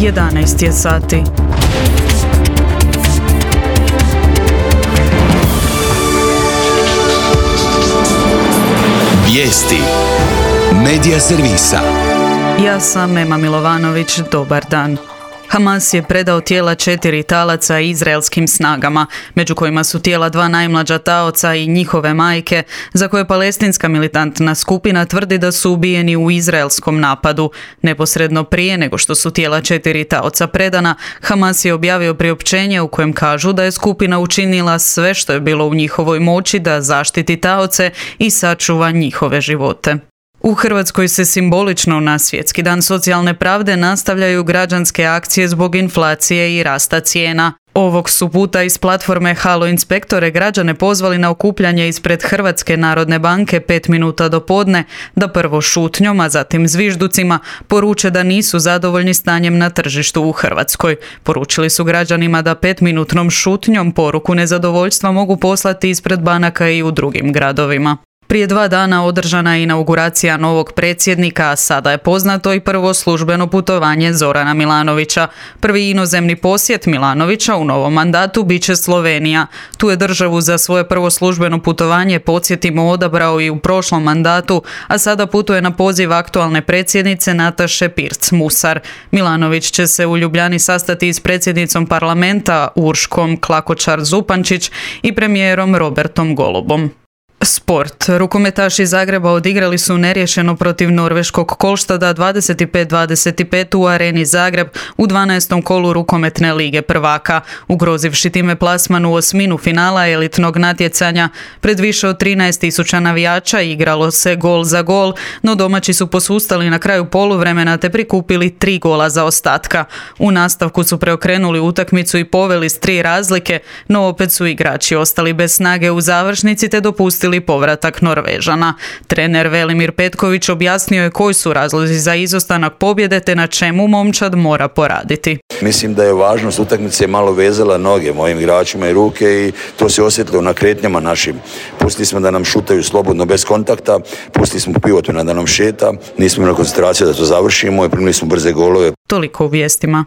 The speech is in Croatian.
11 je sati. Vijesti Medija servisa. Ja sam Ema Milovanović, dobar dan. Hamas je predao tijela 4 talaca izraelskim snagama, među kojima su tijela 2 najmlađa taoca i njihove majke, za koje palestinska militantna skupina tvrdi da su ubijeni u izraelskom napadu. Neposredno prije nego što su tijela 4 taoca predana, Hamas je objavio priopćenje u kojem kažu da je skupina učinila sve što je bilo u njihovoj moći da zaštiti taoce i sačuva njihove živote. U Hrvatskoj se simbolično na Svjetski dan socijalne pravde nastavljaju građanske akcije zbog inflacije i rasta cijena. Ovog su puta iz platforme Halo inspektore građane pozvali na okupljanje ispred Hrvatske narodne banke 5 minuta do podne, da prvo šutnjom, a zatim zvižducima poruče da nisu zadovoljni stanjem na tržištu u Hrvatskoj. Poručili su građanima da 5-minutnom šutnjom poruku nezadovoljstva mogu poslati ispred banaka i u drugim gradovima. Prije 2 dana održana je inauguracija novog predsjednika, a sada je poznato i prvo službeno putovanje Zorana Milanovića. Prvi inozemni posjet Milanovića u novom mandatu bit će Slovenija. Tu je državu za svoje prvo službeno putovanje, podsjetimo, odabrao i u prošlom mandatu, a sada putuje na poziv aktualne predsjednice Nataše Pirc-Musar. Milanović će se u Ljubljani sastati s predsjednicom parlamenta Urškom Klakočar-Zupančić i premijerom Robertom Golubom. Sport. Rukometaši Zagreba odigrali su neriješeno protiv norveškog Kolštada 25-25 u Areni Zagreb u 12. kolu rukometne lige prvaka, ugrozivši time plasman u osminu finala elitnog natjecanja. Pred više od 13.000 navijača igralo se gol za gol, no domaći su posustali na kraju poluvremena te prikupili 3 gola zaostatka. U nastavku su preokrenuli utakmicu i poveli s 3 razlike, no opet su igrači ostali bez snage u završnici te dopustili povratak Norvežana. Trener Velimir Petković objasnio je koji su razlozi za izostanak pobjede te na čemu momčad mora poraditi. Mislim da je važnost utakmice malo vezala noge mojim igračima i ruke i to se osjetilo na kretnjama našim. Pustili smo da nam šutaju slobodno bez kontakta, pustili smo Pivotuna da nam šeta, nismo imali koncentracije da to završimo i primili smo brze golove. Toliko u vijestima.